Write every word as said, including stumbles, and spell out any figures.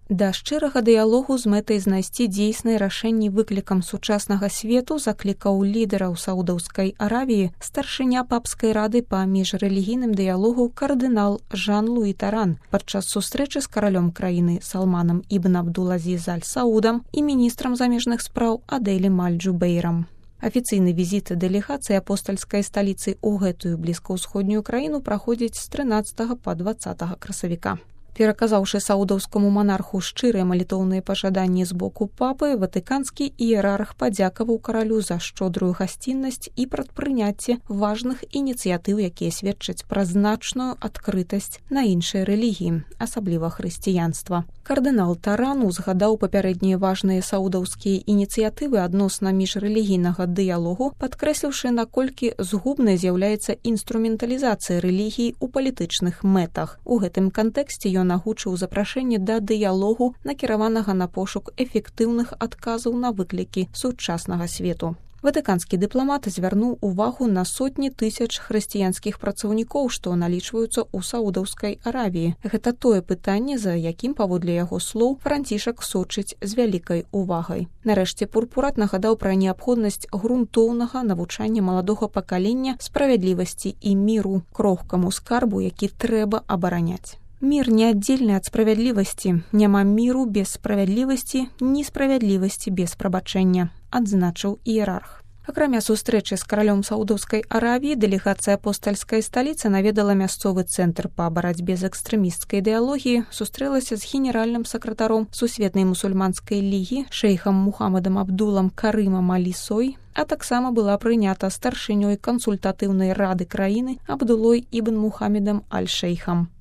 Да шчырага дыялогу з мэтай знайсці дзейсныя рашэнні выклікам сучаснага свету заклікаў лідараў Саудаўскай Аравіі старшыня папскай рады па міжрэлігійным дыялогу кардынал Жан-Луі Таран падчас сустрэчы з каралём краіны Салманам ібн Абдул-Азіз аль-Саудам і міністрам замежных спраў Адэлем аль-Джубэйрам. Афіцыйны візіт дэлегацыі апостальскай сталіцы ў гэтую блізкаўсходнюю краіну праходзіць з трынаццатага па дваццатага красавіка. Пераказаўшы саудаўскаму манарху шчырыя малітоўныя пажаданні з боку папы, ватыканскі іерарх падзякаваў каралю за шчодрую гасціннасць і прадпрыняцце важных ініцыятыў, якія сведчаць пра значную адкрытасць на іншыя рэлігіі, асабліва хрысціянства. Кардынал Таран узгадаў папярэднія важныя саудаўскія ініцыятывы адносна міжрэлігійнага дыялогу, падкрэсліўшы, наколькі згубнай з'яўляецца інструменталізацыя рэлігіі ў палітычных мэтах. У гэтым кантэксце ён агучыў запрашэнне да дыялогу, накіраванага на пошук эфектыўных адказаў на выклікі сучаснага свету. Ватыканскі дыпламат звярнуў увагу на сотні тысяч хрысціянскіх працаўнікоў, што налічваюцца ў Саудаўскай Аравіі. Гэта тое пытанне, за якім, паводле яго слоў, Францішак сочыць з вялікай увагай. Нарэшце Пурпурат нагадаў пра неабходнасць грунтоўнага навучання маладога пакалення справядлівасці і міру, крохкаму скарбу, які трэба абараняць. Мір неаддзельны ад справядлівасці. Няма міру без справядлівасці, ні справядлівасці без прабачэння, адзначыў іерарх. Акрамя сустрэчы з каралём Саудаўскай Аравіі, дэлегацыя апостальскай сталіцы наведала мясцовы цэнтр па барацьбе з экстрэмісцкай ідэалогіяй, сустрэлася з генеральным сакратаром Сусветнай мусульманскай лігі, шэйхам Мухаммадам Абдулам Карымам Аль-Сой, а таксама была прынята старшынёй кансультатыўнай рады краіны Абдулой ібн Мухаммедам Аль-Шэйхам.